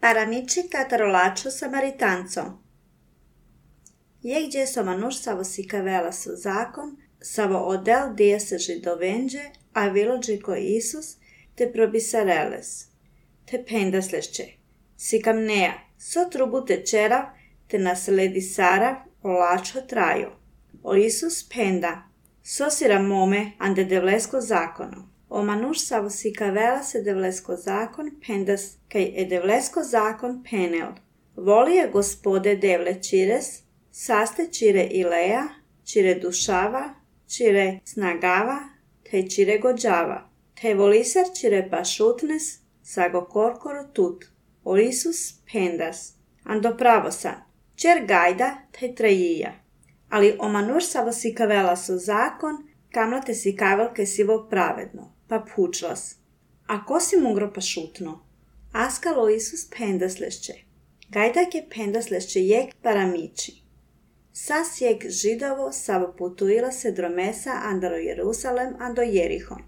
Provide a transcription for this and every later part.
Paramici catarolacho samaritanco. Je gdzie somanuš savo sikavela su zakon, savo odel dia se židovenge, a vilođi ko Isus, te probisareles. Te pendaslešće. Sikamnea, so trubu te čerav, te nasledi sarav, olačo trajo. O Isus penda, so siramome ande devlesko zakono. O manuš savo sikavela se devlesko zakon pendas, kaj e devlesko zakon penel. Volije gospode devle čires, saste čire ileja, čire dušava, čire snagava, te čire gođava. Te voliser čire pašutnes, sago korkoro tut. O Isus pendas, ando pravosan, čer gajda te trajija. Ali o manuš savo sikavela su zakon, kamlate sikavelke sivo pravedno, pa pučlas. A ko si mungro pa šutno? Askalo Isus pendaslešće. Gajdak je pendaslešće jek paramići. Sas jek židovo savo putuila se dromesa andaro Jerusalem ando Jerihon.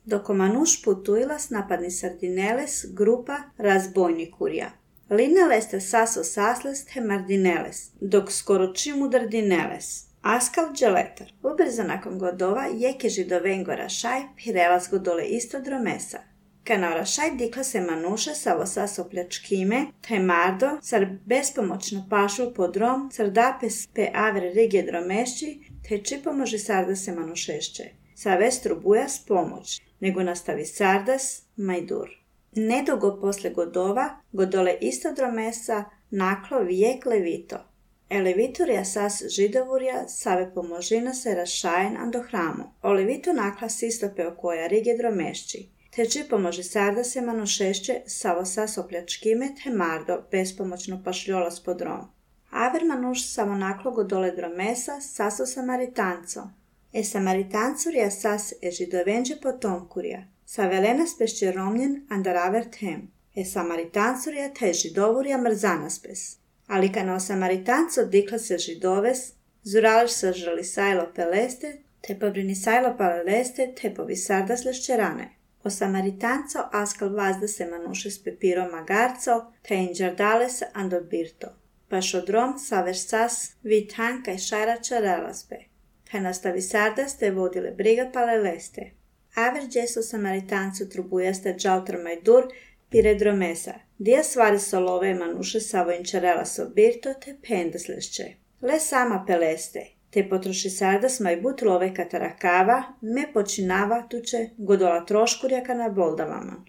Doko manuš putuilas napadni sardineles grupa razbojnikurja. Lineles te saso sasles te mardineles, dok skoro čimu dardineles. Askal dželetar. Ubrzo nakon godova jeke židovengo rašaj pirelas go dole isto dromesa. Kana rašaj dikla se manuše savo saso pljačkime, te mardo, sar bespomoćno pašu po drom, sar dapes pe avre rige dromešći, te čipomoži sarda se manušešće. Sa vestru bujas pomoć, nego nastavi sardas majdur. Nedugo posle godova, godole isto dromesa, naklo vijek levito. Leviturja sas židovurja save pomožina se rašajen ando hramo. O levito nakla sistope o koja rige dromešći. Te či pomoži sarda se manušešće savo sas opljačkime te mardo bespomoćno pašljolas po drom. Aver manuš samo naklo godole dromesa saso samaritanco. Samaritanculja sas židovenđe potomkurja. Sa velena spešće romljen andaraver tem. Samaritanculja te židovurja mrzanaspes. Ali kana o samaritanco dikla se židoves, zurališ sa žali sajlo peleste, te pobrini sajlo paleleste, te povi sarda slešćerane. O samaritanco askal vazda se manuše s pepiro magarco, te inđardales ando birto. Paš odrom saveš sas vitan kaj šajrača relaspe. Te nastavi sardas te vodile briga paleleste. Aver džeso samaritancu trubujaste džautar majdur pire dromesa. Dija stvari solove manuše savo inčarela sobirto te pendaslešće. Le sama peleste. Te potroši sardas majbut love katarakava, me počinava tuče godola troškurjaka na boldavama.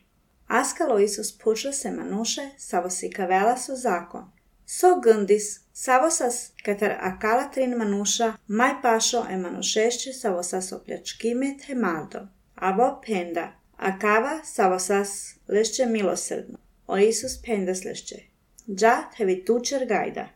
Askalo Isus pučla se manuše savo sikavela su zakon. So gundis, savo sas katar akala trin manuša, maj pašo manušešće savo sas opljačkime te mardo. Avo penda, akava savo sas lešće milosrdno. O Isus pendaslešće. Dža tevi tučer gajda.